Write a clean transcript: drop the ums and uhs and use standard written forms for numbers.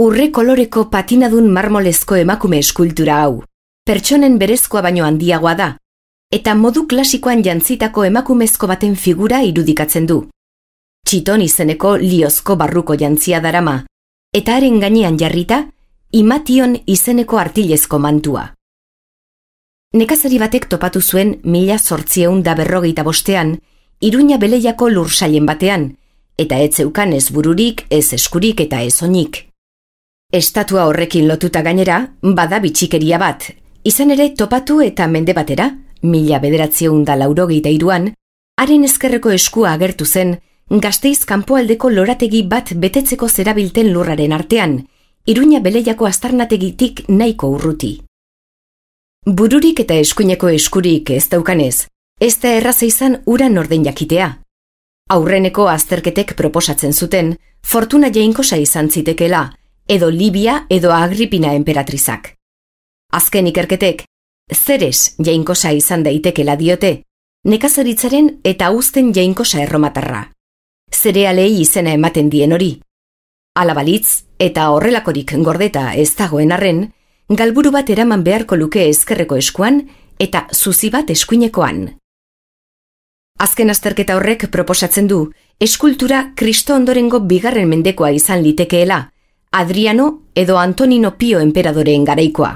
urre koloreko patinadun marmolezko emakume eskultura hau. Pertsonen berezkoa baino handiagoa da, eta modu klasikoan jantzitako emakumezko baten figura irudikatzen du. Txiton izeneko liozko barruko jantzia darama, eta haren gainean jarrita, Imation izeneko artilezko mantua. Nekazari batek topatu zuen 1855 Iruña Beleiako lursailen batean, eta ez zeukan ez bururik, ez eskurik eta ez oinik. Estatua horrekin lotuta gainera, bada bitxikeria bat, izan ere topatu eta mende batera, 1983an, haren ezkerreko eskua agertu zen, Gasteiz kanpoaldeko lorategi bat betetzeko zerabilten lurraren artean, Iruña Beleiako aztarnategitik nahiko urruti. Bururik eta eskuineko eskurik ez daukanez, ez da erraza izan ura norden jakitea. Aurreneko azterketek proposatzen zuten, Fortuna jainkosa izan zitekela, edo Libia edo Agripina enperatrizak. Azken ikerketek, Zeres jainkosa izan daitekela diote, nekazaritzaren eta uzten jainkosa erromatarra. Zerealei izena ematen dien hori. Hala balitz, eta horrelakorik gordeta ez dagoen arren, galburu bat eraman beharko luke ezkerreko eskuan eta zuzi bat eskuinekoan. Azken azterketa horrek proposatzen du, eskultura Kristo ondorengo 2. mendekoa izan litekeela, Adriano edo Antonino Pio enperadoreen garaikoa.